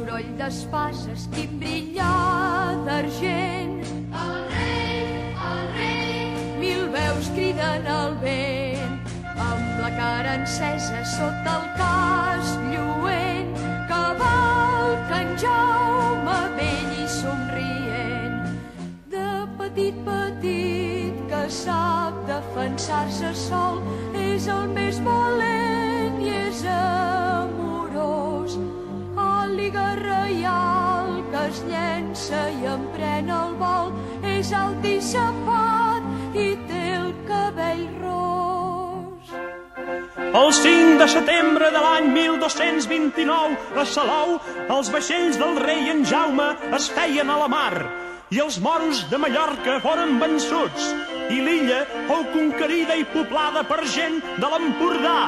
soroll d'espases, timbrinyar d'argent. El rei, mil veus criden al vent, amb la cara encesa sota el casc lluent, cavalca en Jaume vell i somrient. De petit que sap defensar-se sol, és el més valent i és amorós. Àliga reial que es llença i emprèn el vol, és alt i sapat i té el cabell ros. El 5 de setembre de l'any 1229, a Salou, els vaixells del rei en Jaume es feien a la mar i els moros de Mallorca foren vençuts i l'illa fou conquerida i poblada per gent de l'Empordà.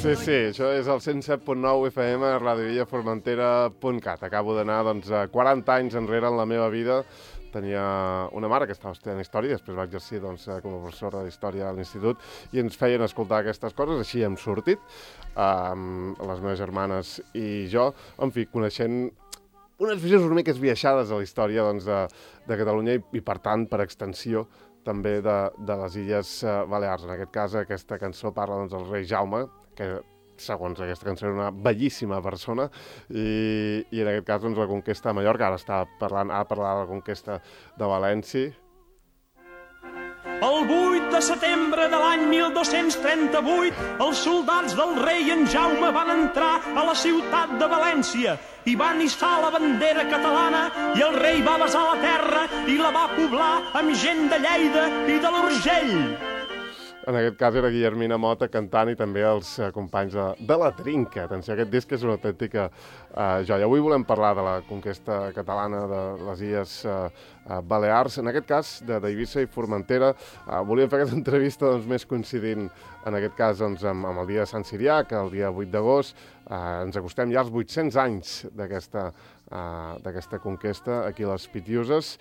Sí, això és el 107.9 FM, radiovillaformentera.cat. Acabo d'anar 40 anys enrere en la meva vida. Tenia una mare que estava estudiant història, després va exercir com a professora d'història a l'institut i ens feien escoltar aquestes coses, així hem sortit, les meves germanes i jo, en fi, coneixent unes visions una mica esbiaixades de la història de Catalunya i, per tant, per extensió, també de les Illes Balears. En aquest cas, aquesta cançó parla del rei Jaume, que segons aquesta cançó era una bellíssima persona, i en aquest cas la conquesta de Mallorca, ara parlar de la conquesta de València. El 8 de setembre de l'any 1238, els soldats del rei en Jaume van entrar a la ciutat de València i van hissar la bandera catalana i el rei va besar la terra i la va poblar amb gent de Lleida i de l'Urgell. En aquest cas era Guillermina Mota cantant i també els companys de la Trinca. Atenció, aquest disc és una autèntica joia. Avui volem parlar de la conquesta catalana de les Illes Balears, en aquest cas d'Eivissa i Formentera. Volíem fer aquesta entrevista més coincidint en aquest cas amb el dia de Sant Sirià, que el dia 8 d'agost. Ens acostem ja als 800 anys d'aquesta conquesta aquí a les Pitiuses,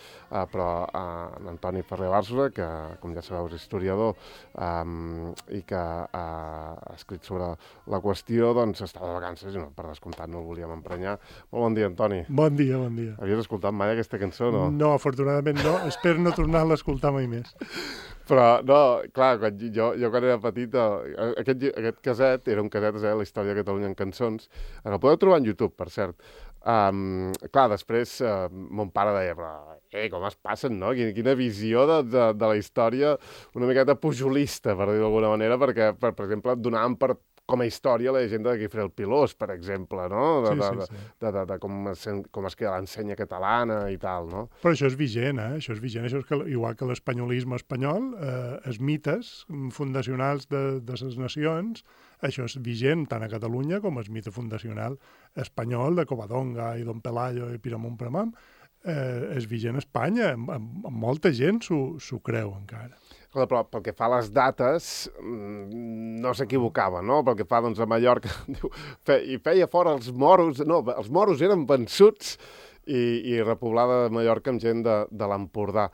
però en Antoni Ferrer Bàrsola, que com ja sabeu és historiador i que ha escrit sobre la qüestió, estava de vacances i per descomptat no el volíem emprenyar. Molt bon dia, Antoni. Bon dia, bon dia. Havies escoltat mai aquesta cançó, no? No, afortunadament no. Espero no tornar-la a escoltar mai més. Però, no, clar, jo quan era petit, aquest caset era un caset, la història de Catalunya en cançons. El podeu trobar en YouTube, per cert. Clar, després mon pare deia, però com es passen, no? Quina visió de la història una miqueta pujolista, per dir-ho d'alguna manera, perquè, per exemple, donaven com a història la llegenda de Guifré el Pilós, per exemple, no? De com es queda l'ensenya catalana i tal, no? Però això és vigent, Això és vigent. Això és igual que l'espanyolisme espanyol, els mites fundacionals de les nacions, això és vigent tant a Catalunya com el mite fundacional espanyol de Covadonga i Don Pelayo i Piramón Pramam, és vigent a Espanya. Molta gent s'ho creu encara. Però pel que fa a les dates, no s'equivocava, no? Pel que fa, a Mallorca, i feia fora els moros, no, els moros eren vençuts i repoblada de Mallorca amb gent de l'Empordà.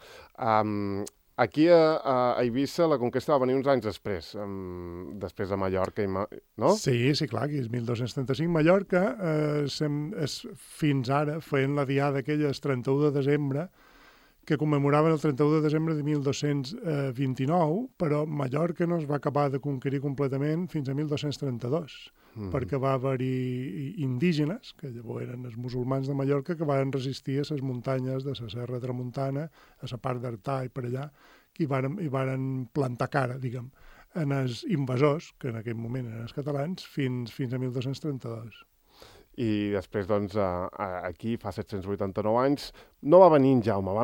Aquí a Eivissa la conquesta va venir uns anys després de Mallorca, no? Sí, clar, aquí és 1235. Mallorca és fins ara fent la diada aquella el 31 de desembre, que commemoraven el 31 de desembre de 1229, però Mallorca no es va acabar de conquerir completament fins a 1232, perquè va haver-hi indígenes, que llavors eren els musulmans de Mallorca, que van resistir a les muntanyes de la Serra Tramuntana, a la part d'Artà i per allà, que hi varen plantar cara, diguem, en els invasors, que en aquell moment eren els catalans, fins a 1232. I després, aquí, fa 789 anys, no va venir en Jaume, va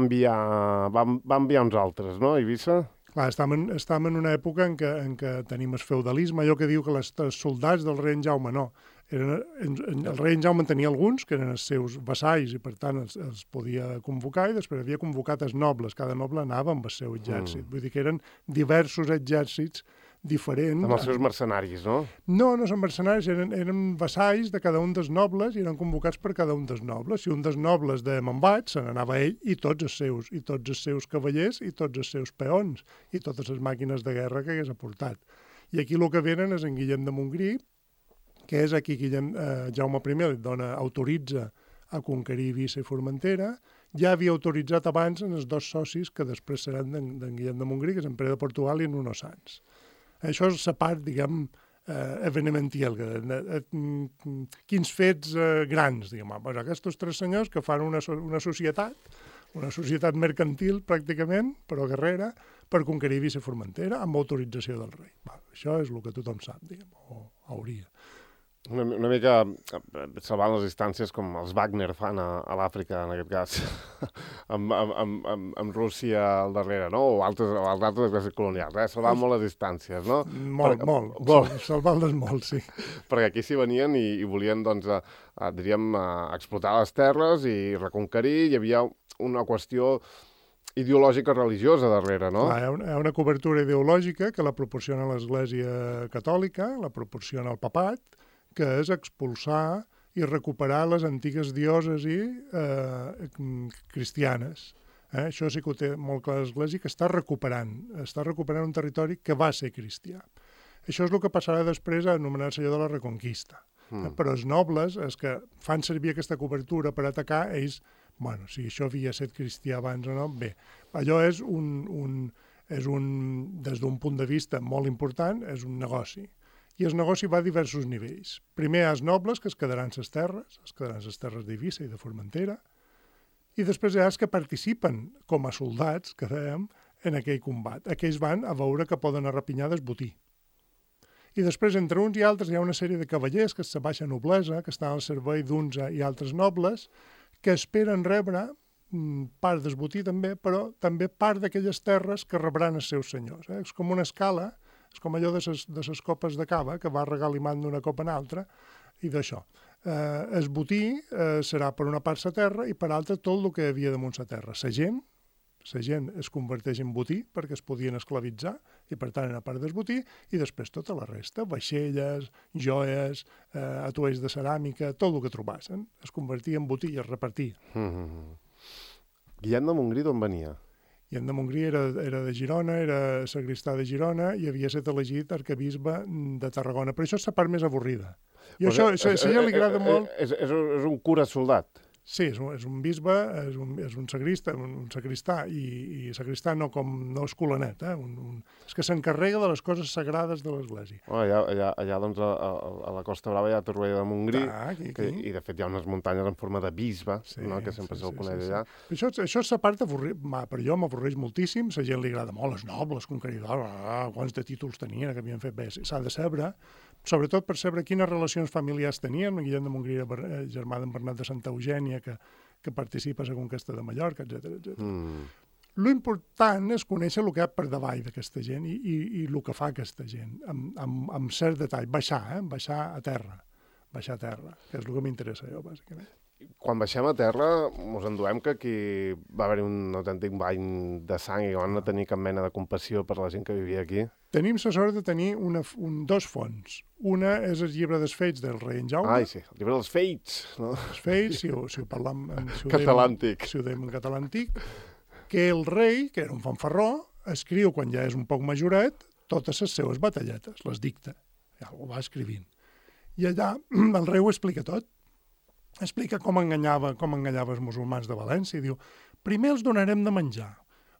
enviar uns altres, no, a Eivissa? Clar, estem en una època en què tenim el feudalisme, allò que diu que els soldats del rei en Jaume no. El rei en Jaume en tenia alguns, que eren els seus vassalls, i per tant els podia convocar, i després havia convocat els nobles. Cada noble anava amb el seu exèrcit. Vull dir que eren diversos exèrcits diferents. Amb els seus mercenaris, no? No són mercenaris, eren vassalls de cada un dels nobles i eren convocats per cada un dels nobles. Si un dels nobles de Montbat, se n'anava ell i tots els seus cavallers i tots els seus peons i totes les màquines de guerra que hagués aportat. I aquí el que venen és en Guillem de Montgrí, que és aquí Jaume I li autoritza a conquerir Eivissa i Formentera. Ja havia autoritzat abans en els dos socis que després seran d'en Guillem de Montgrí, que és en Pere de Portugal i en Nuno Sanç. Això és la part, diguem, evenemential. Quins fets grans, diguem. Pues aquests tres senyors que fan una societat mercantil, pràcticament, però guerrera, per conquerir Eivissa i Formentera amb autorització del rei. Això és el que tothom sap, diguem, o hauria. Una mica salvant les distàncies com els Wagner fan a l'Àfrica, en aquest cas, amb Rússia al darrere, no? O altres exèrcits colonials, salvant molt les distàncies, no? Molt. Salvant-les molt, sí. Perquè aquí s'hi venien i volien, doncs, diríem, explotar les terres i reconquerir. Hi havia una qüestió ideològica religiosa darrere, no? Hi ha una cobertura ideològica que la proporciona l'Església Catòlica, la proporciona el Papat, que és expulsar i recuperar les antigues diòcesis cristianes. Això sí que ho té molt clar l'Església, que està recuperant un territori que va ser cristià. Això és el que passarà després a anomenar-se allò de la Reconquista. Però els nobles, els que fan servir aquesta cobertura per atacar, ells, bueno, si això havia estat cristià abans o no, bé, allò és des d'un punt de vista molt important, és un negoci. I el negoci va a diversos nivells. Primer hi ha els nobles, que es quedaran les terres d'Eivissa i de Formentera, i després hi ha els que participen com a soldats, que dèiem, en aquell combat. Aquells van a veure que poden arrapinyar del botí. I després, entre uns i altres, hi ha una sèrie de cavallers, que és la baixa noblesa, que estan al servei d'uns i altres nobles, que esperen rebre part del botí també, però també part d'aquelles terres que rebran els seus senyors. És com una escala. És com allò de les copes de cava, que va regalimant d'una copa en altra, i d'això. El botí serà per una part la terra i per altra tot el que hi havia damunt la terra. La gent es converteix en botí perquè es podien esclavitzar i per tant era part del botí, i després tota la resta, vaixelles, joies, atuells de ceràmica, tot el que trobassen, es convertia en botí i es repartia. Guillem de Montgrí d'on venia? Guillem de Montgrí era de Girona, era sagristà de Girona i havia estat elegit arquebisbe de Tarragona. Però això és la part més avorrida. I això a ella li agrada molt... És un cura soldat. Sí, és un bisbe, és un sagristà, i sagristà no és colanet, és que s'encarrega de les coses sagrades de l'Església. Allà doncs, a la Costa Brava hi ha Torroella de Montgrí, i de fet hi ha unes muntanyes en forma de bisbe, que sempre se'l coneix allà. Això és la part avorrida, per jo m'avorreix moltíssim, la gent li agrada molt, els nobles, conqueridors, quants de títols tenien, que havien fet bé, s'ha de saber, sobretot per saber quines relacions familiars tenien. Guillem de Montgrí era germà d'en Bernat de Santa Eugènia, que participa a la conquesta de Mallorca, etc. Lo important és conèixer el que hi ha per davall d'aquesta gent i el que fa aquesta gent, amb cert detall. Baixar a terra, que és el que m'interessa jo, bàsicament. Quan baixem a terra, ens enduem que aquí va haver un autèntic bany de sang i van no tenir cap mena de compassió per la gent que vivia aquí. Tenim la sort de tenir dos fonts. Una és el llibre dels Fets del rei en Jaume. Sí, el llibre dels Fets. No? Els Fets, si ho parlam català antic. Si ho dèiem en català antic, que el rei, que era un fanfarró, escriu, quan ja és un poc majoret, totes les seues batalletes, les dicta. Ja ho va escrivint. I allà el rei ho explica tot. Explica com enganyava els musulmans de València. Diu, primer els donarem de menjar,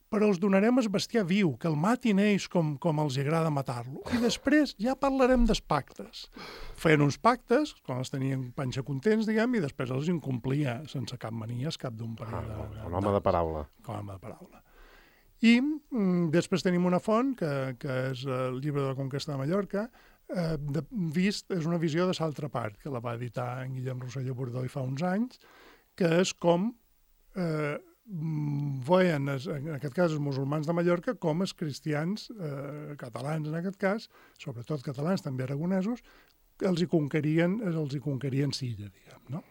però els donarem el bestiar viu, que el matin ells com els agrada matar-lo. I després ja parlarem dels pactes. Feien uns pactes, quan els tenien panxa contents, diguem, i després els incomplia sense cap manies, cap d'un parell de... Un home de paraula. I després tenim una font, que és el llibre de la conquesta de Mallorca, és una visió de l'altra part, que la va editar en Guillem Rosselló Bordó i fa uns anys, que és com veien, en aquest cas, els musulmans de Mallorca com els cristians catalans, en aquest cas, sobretot catalans, també aragonesos, els hi conquerien Silla, diguem, no?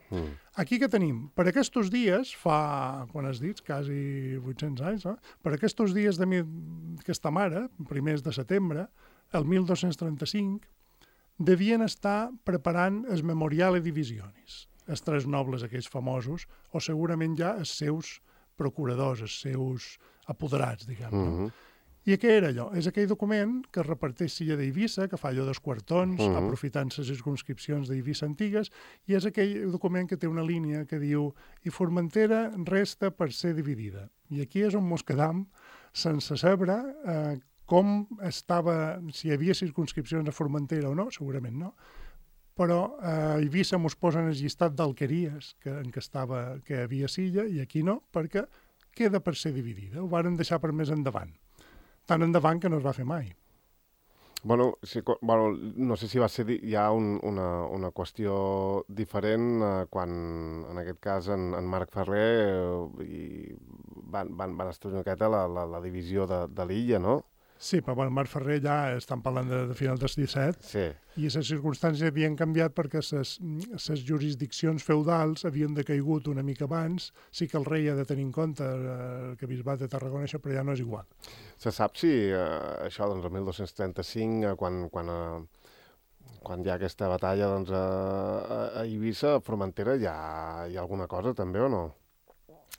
Aquí què tenim? Per aquests dies, quan has dit, quasi 800 anys, no? Per aquests dies d'aquesta mare, primers de setembre, el 1235, devien estar preparant el Memoriale Divisionis, els tres nobles aquells famosos, o segurament ja els seus procuradors, els seus apoderats, diguem. I què era allò? És aquell document que es reparteix Silla d'Eivissa, que fa allò dels quartons, aprofitant les circumscripcions d'Eivissa antigues, i és aquell document que té una línia que diu «I Formentera resta per ser dividida». I aquí és on mos quedam sense saber com estava, si hi havia circumscripcions a Formentera o no, segurament no, però a Eivissa mos posen el llistat d'alqueries en què hi havia Silla i aquí no, perquè queda per ser dividida. Ho varen deixar per més endavant. Tan endavant que no es va fer mai. Bueno, no sé si va ser ja una qüestió diferent quan, en aquest cas, en Marc Ferrer van estudiar una miqueta la divisió de l'illa, no? Sí, però Marc Ferrer ja estan parlant de final del 17 sí. I les circumstàncies havien canviat perquè les jurisdiccions feudals havien decaigut una mica abans. Sí que el rei ha de tenir en compte que Bisbat de Tarragona, això, però ja no és igual. Se sap si això, doncs, el 1235, quan hi ha aquesta batalla doncs, a Eivissa, a Formentera, hi ha alguna cosa també o no?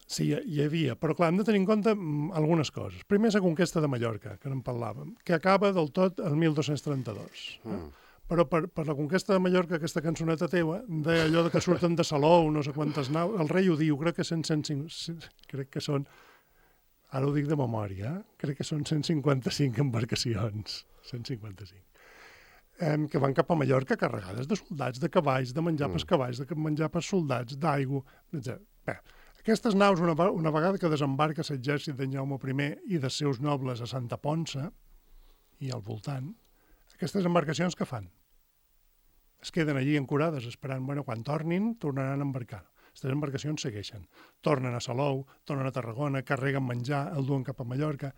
Sí, hi havia, però clar, hem de tenir en compte algunes coses. Primer, la conquesta de Mallorca, que en parlàvem, que acaba del tot el 1232. Però per la conquesta de Mallorca, aquesta cançoneta teva, deia allò que surten de Salou, no sé quantes naus, el rei ho diu, crec que són, ara ho dic de memòria, crec que són 155 embarcacions, 155. Que van cap a Mallorca carregades de soldats, de cavalls, de menjar pels cavalls, de menjar pels soldats, d'aigua, etc. Bé, aquestes naus, una vegada que desembarca l'exèrcit d'en Jaume I i dels seus nobles a Santa Ponça i al voltant, aquestes embarcacions què fan? Es queden allí ancorades esperant, quan tornin, tornaran a embarcar. Aquestes embarcacions segueixen. Tornen a Salou, tornen a Tarragona, carreguen menjar, el duen cap a Mallorca.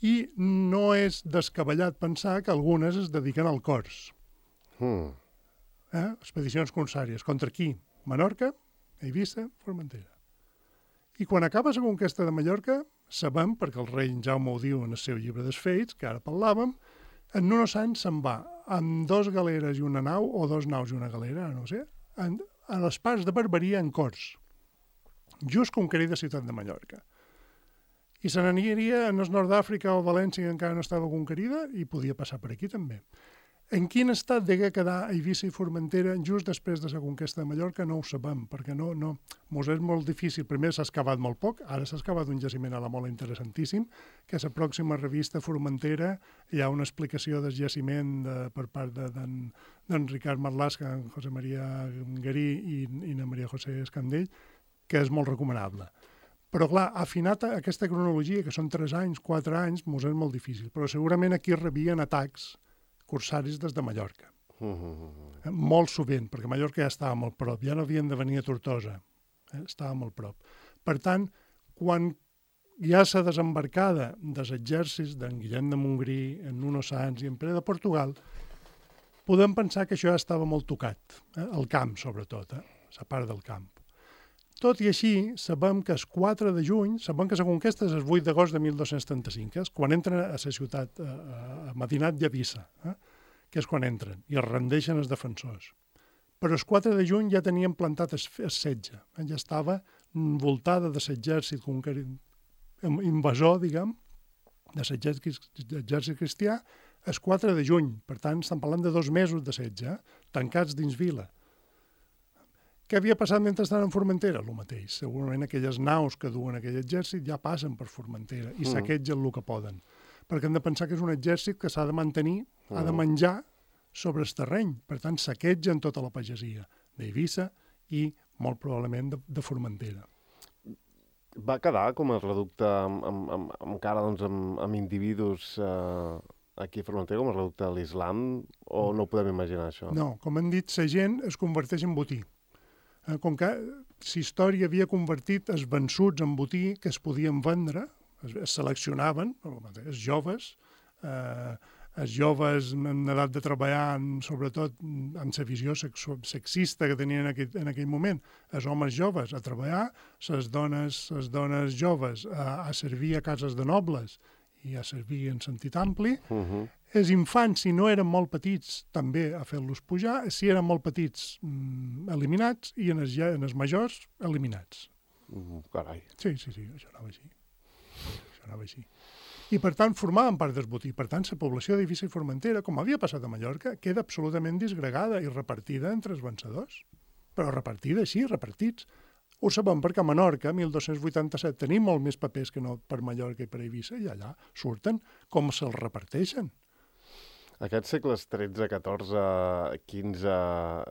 I no és descabellat pensar que algunes es dediquen al cors. Expedicions corsàries. Contra qui? Menorca, Eivissa, Formentera. I quan acaba la conquesta de Mallorca, sabem, perquè el rei Jaume ho diu en el seu llibre dels Fets, que ara parlàvem, en Nuno Sanç se'n va amb 2 galeres i una nau, o 2 naus i una galera, no sé, a les parts de Barberia en Cors, just conquerida ciutat de Mallorca. I se n'aniria en el nord d'Àfrica o València, que encara no estava conquerida, i podia passar per aquí també. En quin estat degué quedar Eivissa i Formentera just després de la conquesta de Mallorca no ho sabem, perquè mos és molt difícil. Primer s'ha excavat molt poc, ara s'ha excavat un jaciment a la Mola interessantíssim, que a la pròxima revista Formentera hi ha una explicació del jaciment per part d'en Ricard Marlaska, en José María Garí i na Maria José Escandell, que és molt recomanable. Però, clar, afinat aquesta cronologia, que són 3 anys, 4 anys, mos és molt difícil. Però segurament aquí rebien atacs corsaris des de Mallorca. Molt sovint, perquè Mallorca ja estava molt prop, ja no havien de venir a Tortosa, estava molt prop. Per tant, quan hi ha la desembarcada dels exèrcits d'en Guillem de Montgrí, en Nuno Sanç i en Pere de Portugal, podem pensar que això ja estava molt tocat, el camp sobretot, la part del camp. Tot i així, sabem que el 4 de juny, sabem que la conquesta és el 8 d'agost de 1235, que és quan entren a la ciutat, a Medinat i Eivissa, que és quan entren, i es rendeixen els defensors. Però el 4 de juny ja tenien plantat el setge, ja estava envoltada de l'exèrcit invasor, diguem, de l'exèrcit cristià, el 4 de juny. Per tant, estan parlant de 2 mesos de setge, tancats dins vila. Què havia passat mentre estaven en Formentera? El mateix. Segurament aquelles naus que duen aquell exèrcit ja passen per Formentera i saquegen el que poden. Perquè hem de pensar que és un exèrcit que s'ha de mantenir, ha de menjar sobre el terreny. Per tant, saquegen tota la pagesia d'Eivissa i, molt probablement, de Formentera. Va quedar com a reducte encara doncs, amb individus aquí a Formentera, com a reducte de l'islam, o no ho podem imaginar, això? No, com hem dit, la gent es converteix en botí. Com que la història havia convertit els vençuts en botí que es podien vendre, es seleccionaven, els joves en edat de treballar, sobretot amb la visió sexista que tenien en aquell moment, els homes joves a treballar, les dones joves a servir a cases de nobles i a servir en sentit ampli, els infants, si no eren molt petits, també a fer-los pujar, si eren molt petits, eliminats, i en els majors, eliminats. Carai. Sí, això anava així. I, per tant, formaven part del botí. Per tant, la població d'Eivissa i Formentera, com havia passat a Mallorca, queda absolutament disgregada i repartida entre els vencedors. Però repartida així, repartits. Ho sabem perquè a Menorca, 1287, tenim molt més papers que no per Mallorca i per Eivissa, i allà surten com se'ls reparteixen. Aquests segles XIII, XIV, XV,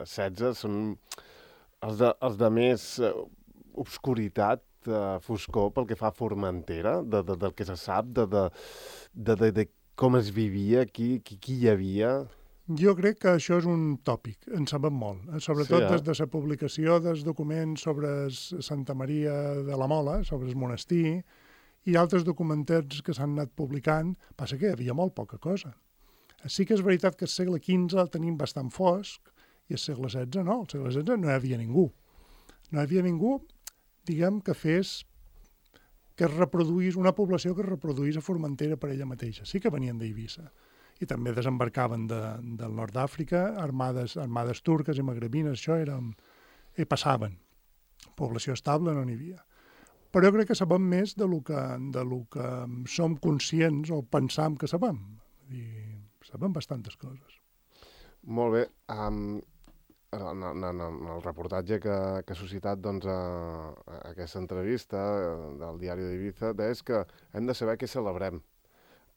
XVI són els de més obscuritat, foscor pel que fa a Formentera, del que se sap, de com es vivia, qui hi havia. Jo crec que això és un tòpic, en sabem molt, sobretot Sí, des de la publicació dels documents sobre Santa Maria de la Mola, sobre el monestir, i altres documentats que s'han anat publicant, passa que hi havia molt poca cosa. Sí que és veritat que el segle XV el tenim bastant fosc, i el segle XVI no, el segle XVI no hi havia ningú. No hi havia ningú, diguem, que es reproduís, una població que es reproduís a Formentera per ella mateixa. Sí que venien d'Eivissa. I també desembarcaven del nord d'Àfrica, armades turques i magrebines, això passaven. Població estable no n'hi havia. Però jo crec que sabem més de lo que som conscients o pensam que sabem. I sabem bastantes coses. Molt bé. En el reportatge que ha suscitat doncs, aquesta entrevista del diari d'Eivissa és que hem de saber què celebrem.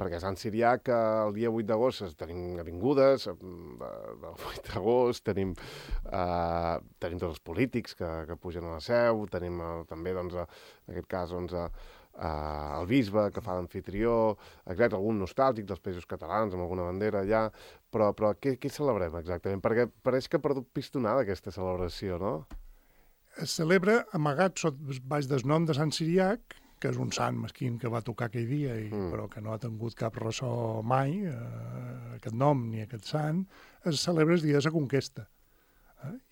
Perquè a Sant Siriac el dia 8 d'agost tenim avingudes, del 8 d'agost, tenim tots els polítics que pugen a la seu, tenim també, doncs, en aquest cas, el bisbe que fa d'amfitrió, exacte, algun nostàlgic dels països catalans, amb alguna bandera allà, però què celebrem exactament? Perquè pareix que ha perdut pistonada aquesta celebració, no? Es celebra amagat baix del nom de Sant Siriac, que és un sant mesquín que va tocar aquell dia, però que no ha tingut cap ressò mai, aquest nom ni aquest sant, es celebra el dia de la conquesta.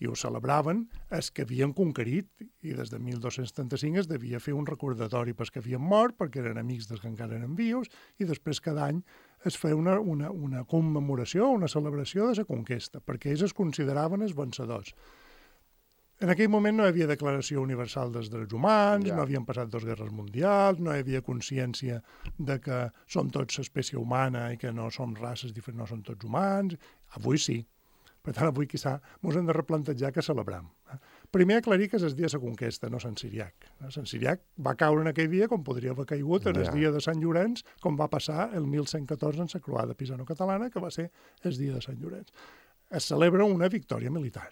I ho celebraven els que havien conquerit, i des de 1235 es devia fer un recordatori pels que havien mort, perquè eren amics dels que encara eren vius, i després cada any es feia una commemoració, una celebració de la conquesta, perquè ells es consideraven els vencedors. En aquell moment no hi havia declaració universal dels drets humans, no havien passat 2 guerres mundials, no hi havia consciència de que som tots espècie humana i que no som races diferents, no som tots humans. Avui sí. Per tant, avui, quizà, ens hem de replantejar què celebrem. Primer, aclarir que és el dia de la conquesta, no Sant Siriac. Sant Siriac va caure en aquell dia com podria haver caigut en el dia de Sant Llorenç, com va passar el 1114 en la croada pisano-catalana, que va ser el dia de Sant Llorenç. Es celebra una victòria militar.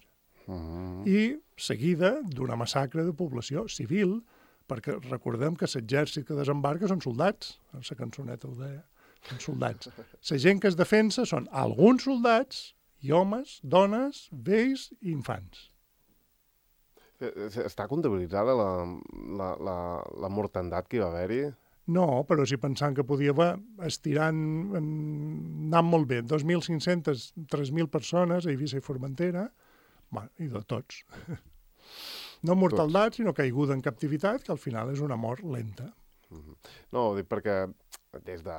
I seguida d'una massacre de població civil, perquè recordem que l'exèrcit que desembarca són soldats, la cançoneta ho deia, són soldats. La gent que es defensa són alguns soldats i homes, dones, vells i infants. Està comptabilitzada la mortandat que hi va haver-hi? No, però si pensant que podia haver estirant, anant molt bé, 2.500, 3.000 persones a Eivissa i Formentera, i de tots. No mortaldat, sinó caiguda en captivitat, que al final és una mort lenta. No, ho dic perquè des de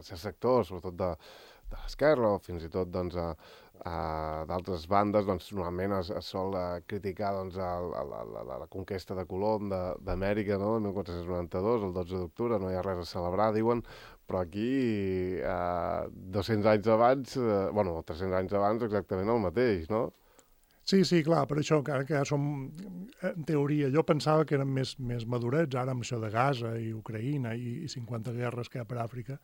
certs sectors, sobretot de l'esquerra, o fins i tot d'altres bandes, normalment es sol criticar la conquesta de Colom d'Amèrica, no?, el 1492, el 12 d'octubre, no hi ha res a celebrar, diuen, però aquí 200 anys abans, 300 anys abans exactament el mateix, no? Sí, clar, per això, que ja som, en teoria, jo pensava que eren més madurets, ara amb això de Gaza i Ucraïna i 50 guerres que hi ha per Àfrica,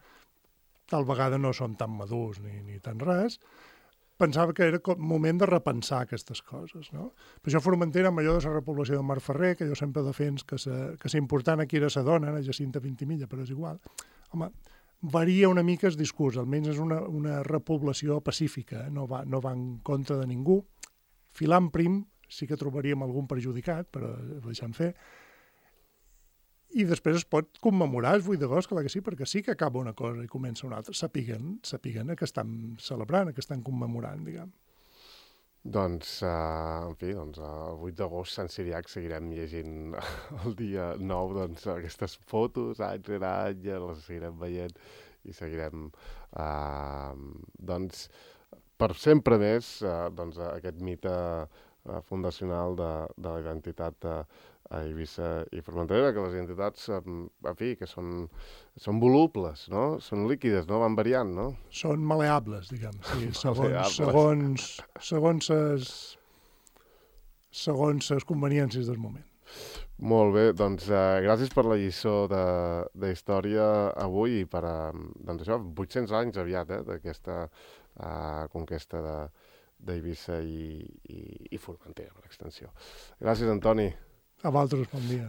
tal vegada no són tan madurs ni tan res, pensava que era moment de repensar aquestes coses, no? Per això Formentera, amb allò de la repoblació de Marferrer, que jo sempre defens que l'important aquí era la dona, la Jacinta Vintimilla, però és igual, home, varia una mica el discurs, almenys és una repoblació pacífica, no va en contra de ningú. Filant prim sí que trobaríem algun perjudicat, però ho deixem fer. I després es pot commemorar el 8 d'agost, clar que sí, perquè sí que acaba una cosa i comença una altra. Sapiguen que estan celebrant, que estan commemorant, diguem. Doncs, en fi, el 8 d'agost Sant Siriac seguirem llegint el dia 9, doncs, aquestes fotos, any rere any, les seguirem veient i seguirem, doncs, per sempre més, aquest mite fundacional de la identitat a Eivissa i Formentera, que les identitats, en fi, que són volubles, no? Són líquides, no? Van variant, no? Són maleables, diguem. Sí, Maleables. segons les conveniències del moment. Molt bé, doncs gràcies per la lliçó de història avui i per, doncs això, 800 anys aviat, d'aquesta conquesta d'Eivissa i Formentera, per extensió. Gràcies, Antoni. A vosaltres, bon dia.